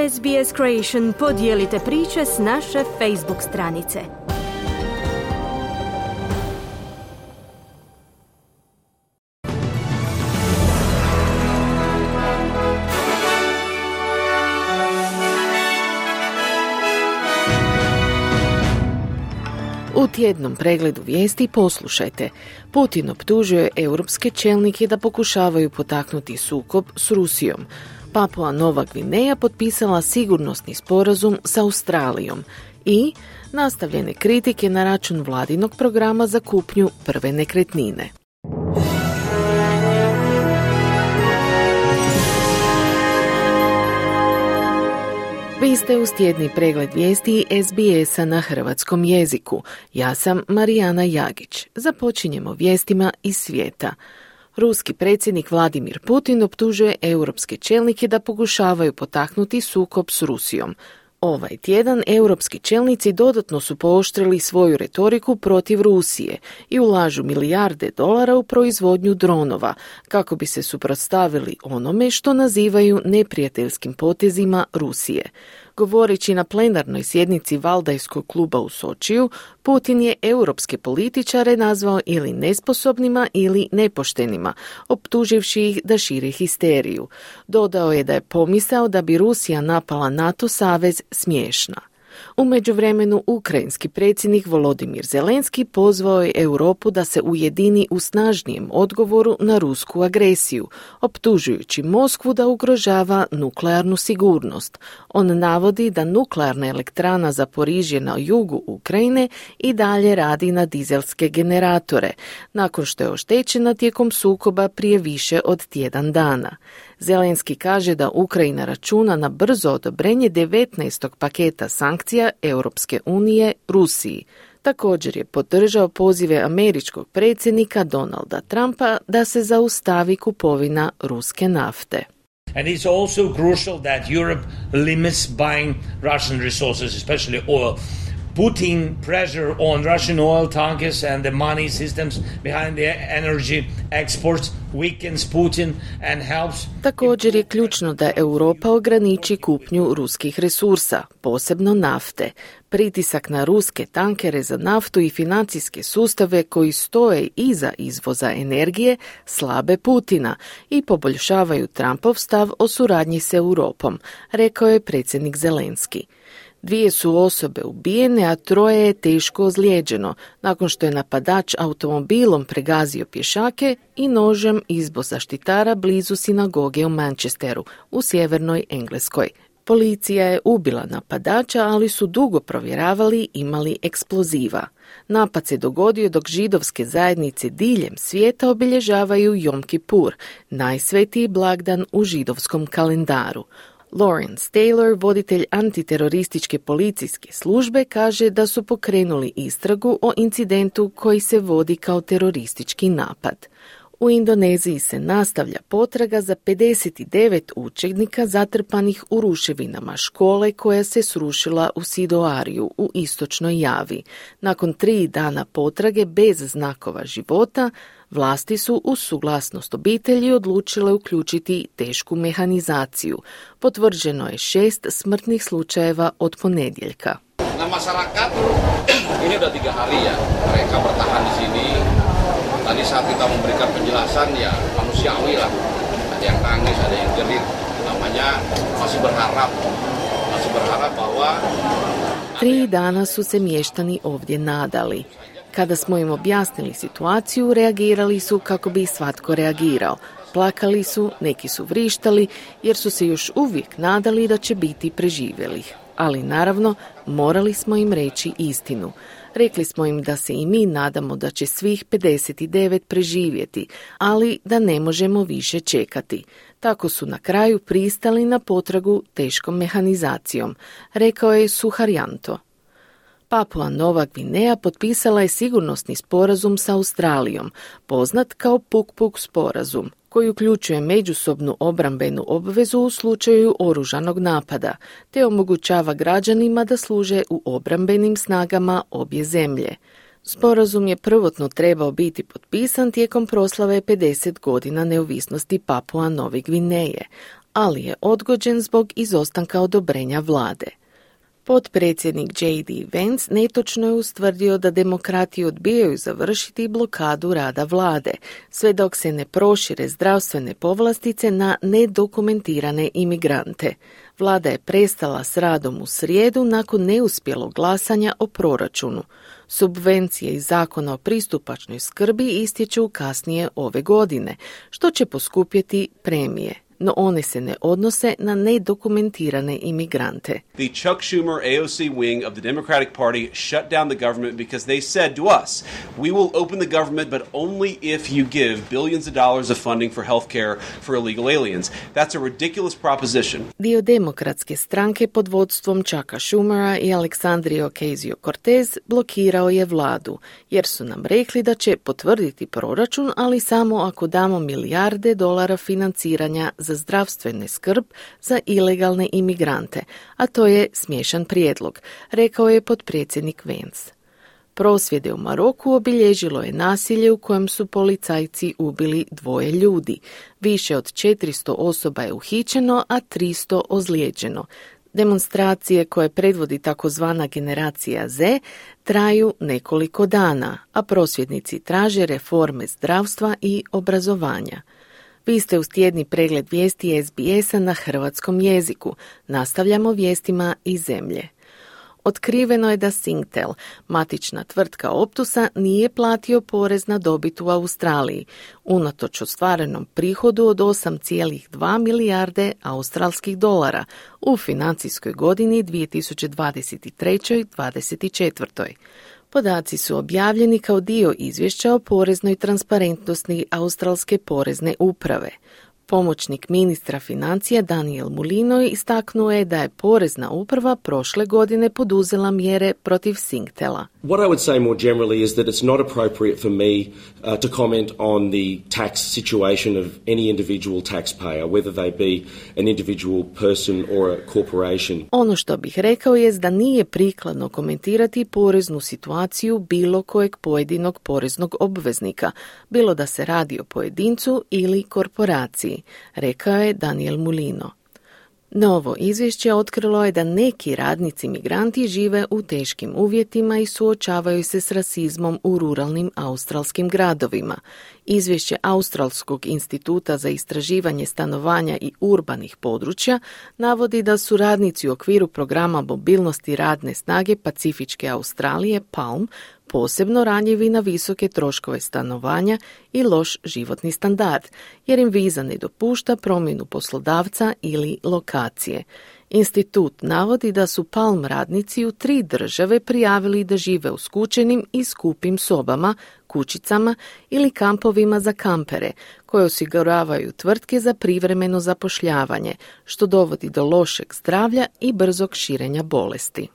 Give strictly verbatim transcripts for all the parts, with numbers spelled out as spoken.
S B S Creation podijelite priče s naše Facebook stranice. U tjednom pregledu vijesti poslušajte. Putin optužuje europske čelnike da pokušavaju potaknuti sukob s Rusijom. Papua Nova Gvineja potpisala sigurnosni sporazum s Australijom i nastavljene kritike na račun vladinog programa za kupnju prve nekretnine. Vi ste uz tjedni pregled vijesti S B S-a na hrvatskom jeziku. Ja sam Marijana Jagić. Započinjemo vijestima iz svijeta. Ruski predsjednik Vladimir Putin optužuje europske čelnike da pokušavaju potaknuti sukob s Rusijom. Ovaj tjedan europski čelnici dodatno su pooštrili svoju retoriku protiv Rusije i ulažu milijarde dolara u proizvodnju dronova kako bi se suprotstavili onome što nazivaju neprijateljskim potezima Rusije. Govoreći na plenarnoj sjednici Valdajskog kluba u Sočiju, Putin je europske političare nazvao ili nesposobnima ili nepoštenima, optuživši ih da šire histeriju. Dodao je da je pomisao da bi Rusija napala NATO savez smiješna. U međuvremenu ukrajinski predsjednik Volodimir Zelenski pozvao je Europu da se ujedini u snažnijem odgovoru na rusku agresiju, optužujući Moskvu da ugrožava nuklearnu sigurnost. On navodi da nuklearna elektrana Zaporižje na jugu Ukrajine i dalje radi na dizelske generatore, nakon što je oštećena tijekom sukoba prije više od tjedan dana. Zelenski kaže da Ukrajina računa na brzo odobrenje devetnaestog paketa sankcija Europske unije Rusiji. Također je podržao pozive američkog predsjednika Donalda Trumpa da se zaustavi kupovina ruske nafte. And it's also crucial that Europe limits buying Russian resources, especially oil. Putting pressure on Russian oil tankers and the money systems behind the energy exports weakens Putin and helps. Također je ključno da Europa ograniči kupnju ruskih resursa, posebno nafte. Pritisak na ruske tankere za naftu i financijske sustave koji stoje iza izvoza energije slabe Putina i poboljšavaju Trumpov stav o suradnji s Europom, rekao je predsjednik Zelenski. Dvije su osobe ubijene, a troje je teško ozlijeđeno, nakon što je napadač automobilom pregazio pješake i nožem izbo zaštitara blizu sinagoge u Manchesteru, u sjevernoj Engleskoj. Policija je ubila napadača, ali su dugo provjeravali imali eksploziva. Napad se dogodio dok židovske zajednice diljem svijeta obilježavaju Jom Kipur, najsvetiji blagdan u židovskom kalendaru. Lawrence Taylor, voditelj antiterorističke policijske službe, kaže da su pokrenuli istragu o incidentu koji se vodi kao teroristički napad. U Indoneziji se nastavlja potraga za pedeset devet učenika zatrpanih u ruševinama škole koja se srušila u Sidoariju u istočnoj Javi. Nakon tri dana potrage bez znakova života, vlasti su uz suglasnost obitelji odlučile uključiti tešku mehanizaciju. Potvrđeno je šest smrtnih slučajeva od ponedjeljka. Na masyarakat ini udah tiga hari ya mereka bertahan di sini. Tadi saat kita memberikan penjelasan ya manusiawi lah. Ada yang nangis, ada yang jerit. Namanya masih berharap. Masih berharap bahwa Tri dana su se mještani ovdje nadali. Kada smo im objasnili situaciju, reagirali su kako bi svatko reagirao. Plakali su, neki su vrištali, jer su se još uvijek nadali da će biti preživjelih. Ali naravno, morali smo im reći istinu. Rekli smo im da se i mi nadamo da će svih pedeset devet preživjeti, ali da ne možemo više čekati. Tako su na kraju pristali na potragu teškom mehanizacijom, rekao je Suharyanto. Papua Nova Gvineja potpisala je sigurnosni sporazum sa Australijom, poznat kao Puk-Puk sporazum, koji uključuje međusobnu obrambenu obvezu u slučaju oružanog napada, te omogućava građanima da služe u obrambenim snagama obje zemlje. Sporazum je prvotno trebao biti potpisan tijekom proslave pedeset godina neovisnosti Papua Nove Gvineje, ali je odgođen zbog izostanka odobrenja vlade. Potpredsjednik J D. Vance netočno je ustvrdio da demokrati odbijaju završiti blokadu rada vlade, sve dok se ne prošire zdravstvene povlastice na nedokumentirane imigrante. Vlada je prestala s radom u srijedu nakon neuspjelog glasanja o proračunu. Subvencije iz zakona o pristupačnoj skrbi istječu kasnije ove godine, što će poskupjeti premije. No one se ne odnose na nedokumentirane imigrante. The Chuck Schumer A O C wing of the Democratic Party shut down the government because they said to us, we will open the government but only if you give billions of dollars of funding for health care for illegal aliens. That's a ridiculous proposition. Dio demokratske stranke pod vodstvom Chucka Schumera i Alexandria Ocasio-Cortez blokirao je vladu, jer su nam rekli da će potvrditi proračun, ali samo ako damo milijarde dolara financiranja za zdravstvene skrb za ilegalne imigrante, a to je smiješan prijedlog, rekao je potpredsjednik Vance. Prosvjede u Maroku obilježilo je nasilje u kojem su policajci ubili dvoje ljudi. Više od četiristo osoba je uhićeno, a tristo ozlijeđeno. Demonstracije koje predvodi takozvana generacija Z traju nekoliko dana, a prosvjednici traže reforme zdravstva i obrazovanja. Vi ste uz tjedni pregled vijesti S B S-a na hrvatskom jeziku. Nastavljamo vijestima iz zemlje. Otkriveno je da Singtel, matična tvrtka Optusa, nije platio porez na dobit u Australiji, unatoč ostvarenom prihodu od osam zarez dva milijarde australskih dolara u financijskoj godini dvije tisuće dvadeset treće dvadeset četvrtoj. Podaci su objavljeni kao dio izvješća o poreznoj transparentnosti australske porezne uprave. Pomoćnik ministra financija Daniel Mulinoy istaknuo je da je porezna uprava prošle godine poduzela mjere protiv Singtela. What I would say more generally is that it's not appropriate for me uh, to comment on the tax situation of any individual taxpayer, whether they be an individual person or a corporation. Ono što bih rekao je da nije prikladno komentirati poreznu situaciju bilo kojeg pojedinog poreznog obveznika, bilo da se radi o pojedincu ili korporaciji, rekao je Daniel Mulino. Novo izvješće otkrilo je da neki radnici migranti žive u teškim uvjetima i suočavaju se s rasizmom u ruralnim australskim gradovima. Izvješće Australskog instituta za istraživanje stanovanja i urbanih područja navodi da su radnici u okviru programa mobilnosti radne snage Pacifičke Australije P A L M posebno ranjivi na visoke troškove stanovanja i loš životni standard, jer im viza ne dopušta promjenu poslodavca ili lokacije. Institut navodi da su P A L M radnici u tri države prijavili da žive u skučenim i skupim sobama, kućicama ili kampovima za kampere, koje osiguravaju tvrtke za privremeno zapošljavanje, što dovodi do lošeg zdravlja i brzog širenja bolesti.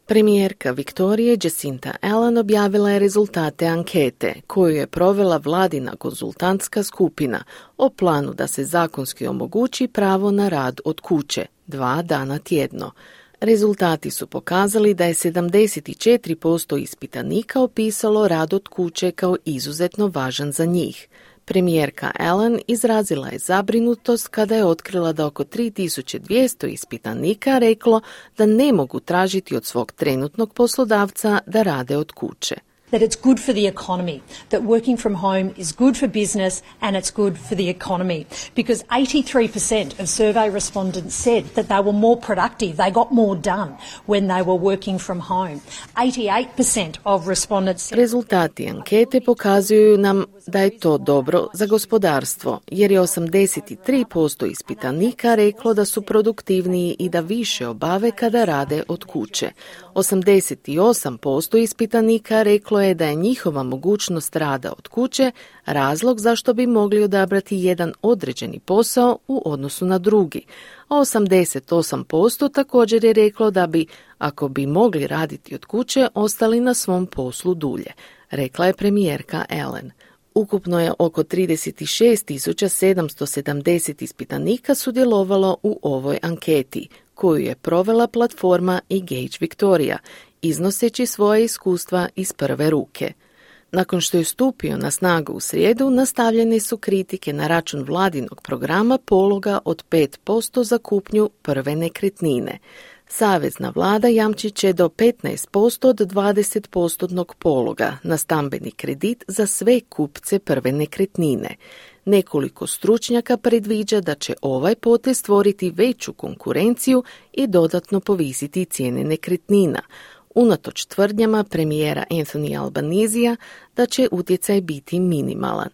Premijerka Viktorije Jacinta Allen objavila je rezultate ankete koju je provela vladina konzultantska skupina o planu da se zakonski omogući pravo na rad od kuće, dva dana tjedno. Rezultati su pokazali da je sedamdeset četiri posto ispitanika opisalo rad od kuće kao izuzetno važan za njih. Premijerka Allen izrazila je zabrinutost kada je otkrila da oko tri tisuće dvjesto ispitanika reklo da ne mogu tražiti od svog trenutnog poslodavca da rade od kuće. That it's good for the economy, that working from home is good for business and it's good for the economy. Because eighty-three percent of survey respondents said that they were more productive, they got more done when they were working from home. eighty-eight percent of respondents said... Rezultati ankete pokazuju nam da je to dobro za gospodarstvo, jer je osamdeset tri posto ispitanika reklo da su produktivniji i da više obave kada rade od kuće. osamdeset osam posto ispitanika reklo je da je njihova mogućnost rada od kuće razlog zašto bi mogli odabrati jedan određeni posao u odnosu na drugi, a osamdeset osam posto također je reklo da bi, ako bi mogli raditi od kuće, ostali na svom poslu dulje, rekla je premijerka Allen. Ukupno je oko trideset šest tisuća sedamsto sedamdeset ispitanika sudjelovalo u ovoj anketi, koju je provela platforma Engage Victoria, iznoseći svoje iskustva iz prve ruke. Nakon što je stupio na snagu u srijedu, nastavljene su kritike na račun vladinog programa pologa od pet posto za kupnju prve nekretnine. Savezna vlada jamčit će do petnaest posto od dvadeset posto pologa na stambeni kredit za sve kupce prve nekretnine. Nekoliko stručnjaka predviđa da će ovaj potez stvoriti veću konkurenciju i dodatno povisiti cijene nekretnina, unatoč tvrdnjama premijera Anthony Albanesija da će utjecaj biti minimalan.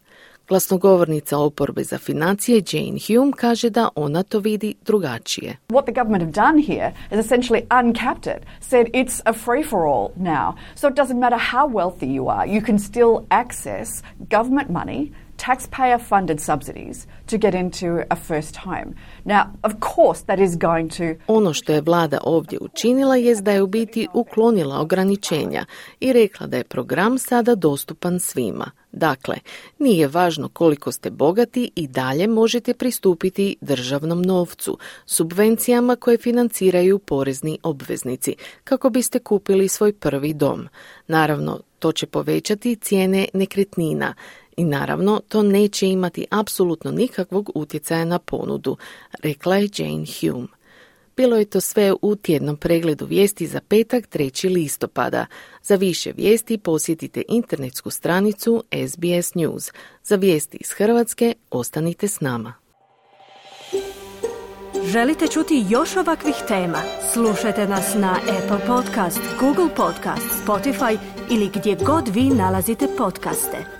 Glasnogovornica oporbe za financije Jane Hume kaže da ona to vidi drugačije. What the government have done here is essentially uncapped it, said it's a free-for-all now. So it doesn't matter how wealthy you are, you can still access government money, taxpayer-funded subsidies to get into a first home. Now, of course, that is going to... Ono što je vlada ovdje učinila jest da je u biti uklonila ograničenja i rekla da je program sada dostupan svima. Dakle, nije važno koliko ste bogati i dalje možete pristupiti državnom novcu, subvencijama koje financiraju porezni obveznici, kako biste kupili svoj prvi dom. Naravno, to će povećati cijene nekretnina. I naravno, to neće imati apsolutno nikakvog utjecaja na ponudu, rekla je Jane Hume. Bilo je to sve u tjednom pregledu vijesti za petak trećeg listopada. Za više vijesti posjetite internetsku stranicu S B S News. Za vijesti iz Hrvatske ostanite s nama. Želite čuti još ovakvih tema? Slušajte nas na Apple Podcast, Google Podcast, Spotify ili gdje god vi nalazite podcaste.